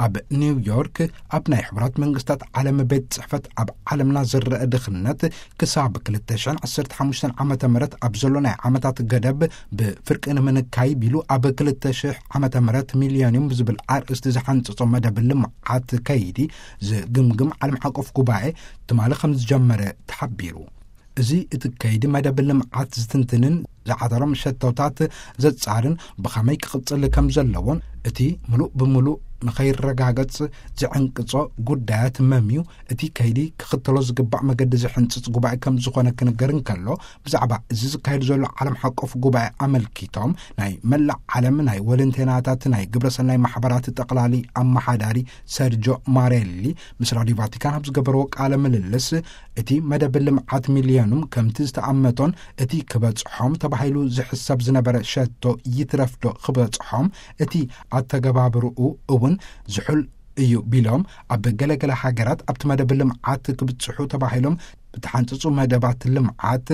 ኣብ ኒውዮርክ ኣብ ናይ ሕቡራት መንግስታት ዓለም ቤት ጽሕፈት ኣብ ዓለምና ዝረአ ድኽነት ክሳብ ክልተ ሽሕን ዓሰርተ ሓሙሽተን ዓመተ ምህረት ኣብ ዘሎ ናይ ዓመታት ገደብ ብፍርቂ ንምንካይ ቢሉ ኣብ ክልተ ሽሕ ዓመተ ምህረት ሚሊዮኒየም ብዝብል ኣርእስቲ ዝሓንጸጾ መደብ ልምዓት ከይዲ ዝግምግም ዓለም ሓቆፍ ጉባኤ ትማሊ ከም ዝጀመረ ተሓቢሩ። እዚ እቲ ከይዲ መደብ ልምዓት ዝትንትንን ዝዓተሮም ሸቶታት ዘጻርን ብኸመይ ክቕጽል ከም ዘለዎን እቲ ምሉእ ብምሉእ ንኸይረጋገጽ ዝዕንቅጾ ጉዳያት መምዩ እቲ ከይዲ ክኽተሎ ዝግባእ መገዲ ዝሕንጽጽ ጉባኤ ከም ዝኾነ ክንገር እንከሎ፣ ብዛዕባ እዚ ዝካየድ ዘሎ ዓለም ሓቆፍ ጉባኤ ኣመልኪቶም ናይ መላእ ዓለም ናይ ወለንቴናታት ናይ ግብረሰናይ ማሕበራት ጠቕላሊ ኣመሓዳሪ ሰርጆ ማሬሊ ምስ ራዲዮ ቫቲካን ኣብ ዝገበርዎ ቃለ ምልልስ፣ እቲ መደብ ልምዓት ሚልዮኑም ከምቲ ዝተኣመቶን እቲ ክበጽሖም ተባሂሉ ዝሕሰብ ዝነበረ ሸቶ ይትረፍዶ ክበጽሖም፣ እቲ ኣተገባብርኡ እውን ዝሑል እዩ ቢሎም፣ ኣብ ገለገለ ሃገራት ኣብቲ መደብ ልምዓት ክብጽሑ ተባሂሎም ብተሓንጽጹ መደባት ልምዓት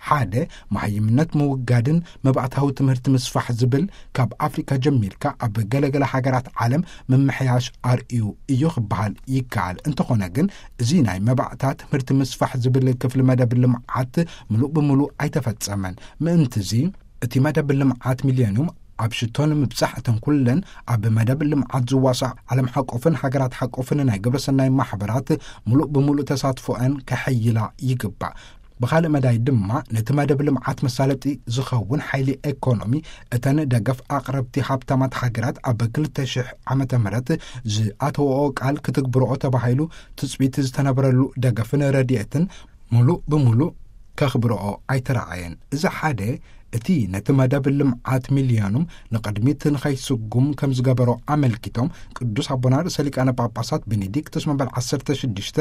ሓደ መሃይምነት ምውጋድን መባእታዊ ትምህርቲ ምስፋሕ ዝብል ካብ ኣፍሪካ ጀሚርካ ኣብ ገለገለ ሃገራት ዓለም ምምሕያሽ ኣርእዩ እዩ ክበሃል ይከኣል። እንተኾነ ግን እዚ ናይ መባእታ ትምህርቲ ምስፋሕ ዝብል ክፍሊ መደብ ልምዓት ምሉእ ብምሉእ ኣይተፈጸመን። ምእንትዚ እቲ መደብ ልምዓት ሚልዮኒየም ኣብ ሽቶ ንምብጻሕ እተን ኩለን ኣብ መደብ ልምዓት ዝዋሳእ ዓለም ሓቆፍን ሃገራት ሓቆፍን ናይ ግብረሰናይ ማሕበራት ምሉእ ብምሉእ ተሳትፎአን ከሐይላ ይግባእ። ብኻልእ መዳይ ድማ ነቲ መደብ ልምዓት መሳለጢ ዝኸውን ሓይሊ ኤኮኖሚ እተን ደገፍ ኣቕረብቲ ሃብታማት ሃገራት ኣብ ክልተ ሽሕ ዓመተ ምህረት ዝኣተወኦ ቃል ክትግብርኦ ተባሂሉ ትጽቢት ዝተነበረሉ ደገፍን ረድኤትን ምሉእ ብምሉእ ከኽብርኦ ኣይተረኣየን። እዚ ሓደ እቲ ነቲ መደብ ልምዓት ሚልዮኑም ንቕድሚት ንኸይስጉም ከም ዝገበሮ ኣመልኪቶም፣ ቅዱስ ኣቦና ርእሰ ሊቃነ ጳጳሳት ቤኔዲክቶስ መበል ዓሰርተ ሽዱሽተ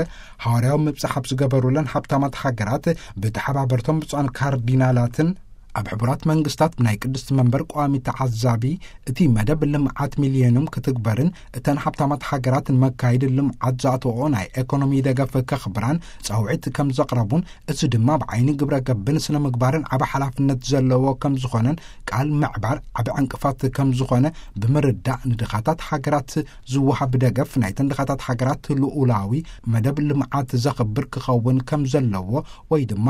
ሃዋርያዊ ምብጻሕ ኣብ ዝገበሩለን ሃብታማት ሃገራት ብተሓባበርቶም ብፁዓን ካርዲናላትን ኣብ ሕቡራት መንግስታት ናይ ቅድስቲ መንበር ቋሚ ተዓዛቢ እቲ መደብ ልምዓት ሚልዮኑም ክትግበርን እተን ሃብታማት ሃገራት ንመካየዲ ልምዓት ዝኣተወኦ ናይ ኤኮኖሚ ደገፍ ከኽብራን ጻውዒት ከም ዘቕረቡን፣ እዚ ድማ ብዓይኒ ግብረ ገብን ስነ ምግባርን ዓቢ ሓላፍነት ዘለዎ ከም ዝኾነን ቃል ምዕባር ዓቢ ዕንቅፋት ከም ዝኾነ ብምርዳእ፣ ንድኻታት ሃገራት ዝወሃብ ደገፍ ናይተን ድኻታት ሃገራት ልኡላዊ መደብ ልምዓት ዘኽብር ክኸውን ከም ዘለዎ ወይ ድማ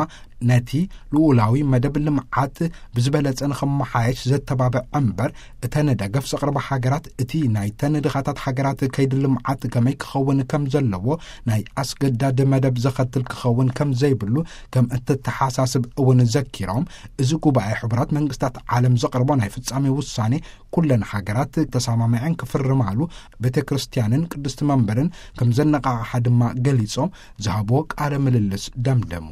ነቲ ልኡላዊ መደብ ልምዓት ብዝበለጸ ንኽመሓየሽ ዘተባብዕ እምበር፣ እተን ደገፍ ዘቕርባ ሃገራት እቲ ናይተን ድኻታት ሃገራት ከይዲ ልምዓት ከመይ ክኸውን ከም ዘለዎ ናይ ኣስገዳድ መደብ ዘኸትል ክኸውን ከም ዘይብሉ ከም እተተሓሳስብ እውን ዘኪሮም፣ እዚ ጉባኤ ሕቡራት መንግስታት ዓለም ዘቕርቦ ናይ ፍጻሜ ውሳኔ ኩለን ሃገራት ተሰማሚዐን ክፍርማሉ፣ ቤተ ክርስቲያንን ቅድስቲ መንበርን ከም ዘነቓቕሓ ድማ ገሊጾም ዝሃብዎ ቃለ ምልልስ ደምደሙ።